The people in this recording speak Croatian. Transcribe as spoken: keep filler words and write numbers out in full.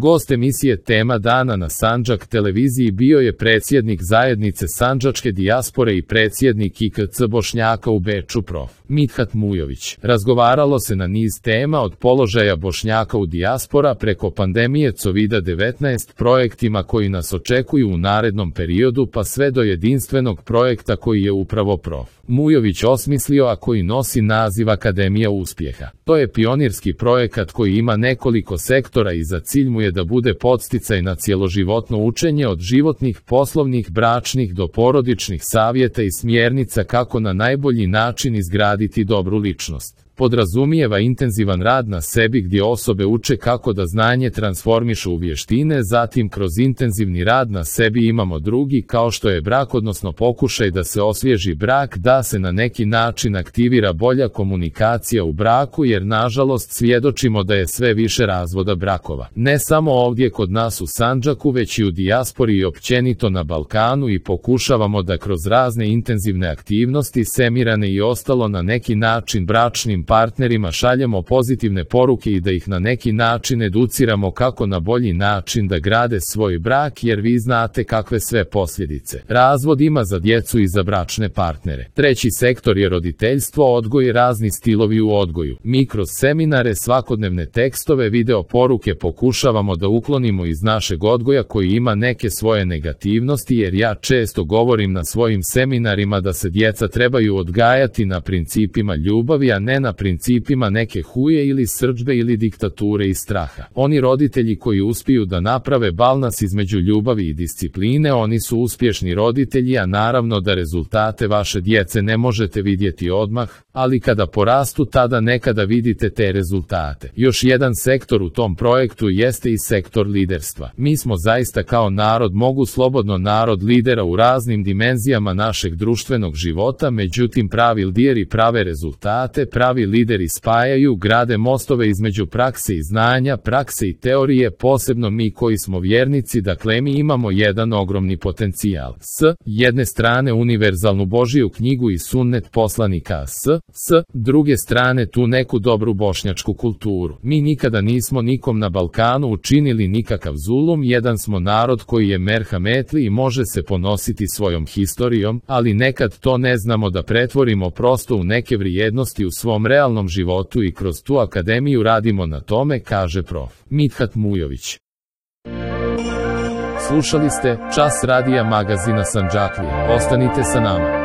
Gost emisije Tema dana na Sandžak televiziji bio je predsjednik zajednice Sandžačke dijaspore i predsjednik I K C Bošnjaka u Beču prof. Mithat Mujović. Razgovaralo se na niz tema od položaja Bošnjaka u dijaspora preko pandemije covida devetnaest, projektima koji nas očekuju u narednom periodu pa sve do jedinstvenog projekta koji je upravo prof. Mujović osmislio, a koji nosi naziv Akademija uspjeha. To je pionirski projekat koji ima nekoliko sektora i za cilj mu je da bude podsticaj na cjeloživotno učenje od životnih, poslovnih, bračnih do porodičnih savjeta i smjernica kako na najbolji način izgraditi dobru ličnost. Podrazumijeva intenzivan rad na sebi gdje osobe uče kako da znanje transformišu u vještine, zatim kroz intenzivni rad na sebi imamo drugi kao što je brak, odnosno pokušaj da se osvježi brak, da se na neki način aktivira bolja komunikacija u braku jer nažalost svjedočimo da je sve više razvoda brakova. Ne samo ovdje kod nas u Sandžaku već i u dijaspori i općenito na Balkanu i pokušavamo da kroz razne intenzivne aktivnosti, semirane i ostalo na neki način bračnim partnerima šaljemo pozitivne poruke i da ih na neki način educiramo kako na bolji način da grade svoj brak jer vi znate kakve sve posljedice razvod ima za djecu i za bračne partnere. Treći sektor je roditeljstvo, odgoj i razni stilovi u odgoju. Mi kroz seminare, svakodnevne tekstove, video poruke pokušavamo da uklonimo iz našeg odgoja koji ima neke svoje negativnosti jer ja često govorim na svojim seminarima da se djeca trebaju odgajati na principima ljubavi, a ne na principima neke huje ili srdžbe ili diktature i straha. Oni roditelji koji uspiju da naprave balans između ljubavi i discipline, oni su uspješni roditelji, a naravno da rezultate vaše djece ne možete vidjeti odmah, ali kada porastu tada nekada vidite te rezultate. Još jedan sektor u tom projektu jeste i sektor liderstva. Mi smo zaista kao narod, mogu slobodno narod lidera u raznim dimenzijama našeg društvenog života, međutim pravi lideri prave rezultate, pravi lideri spajaju, grade mostove između prakse i znanja, prakse i teorije, posebno mi koji smo vjernici, dakle mi imamo jedan ogromni potencijal. S jedne strane univerzalnu Božiju knjigu i sunnet poslanika, s, s druge strane tu neku dobru bošnjačku kulturu. Mi nikada nismo nikom na Balkanu učinili nikakav zulum, jedan smo narod koji je merhametli i može se ponositi svojom historijom, ali nekad to ne znamo da pretvorimo prosto u neke vrijednosti u svom realnom životu i kroz tu akademiju radimo na tome, kaže prof. Mithat Mujović. Slušali ste Čas radija magazina Sandžaklije. Ostanite sa nama.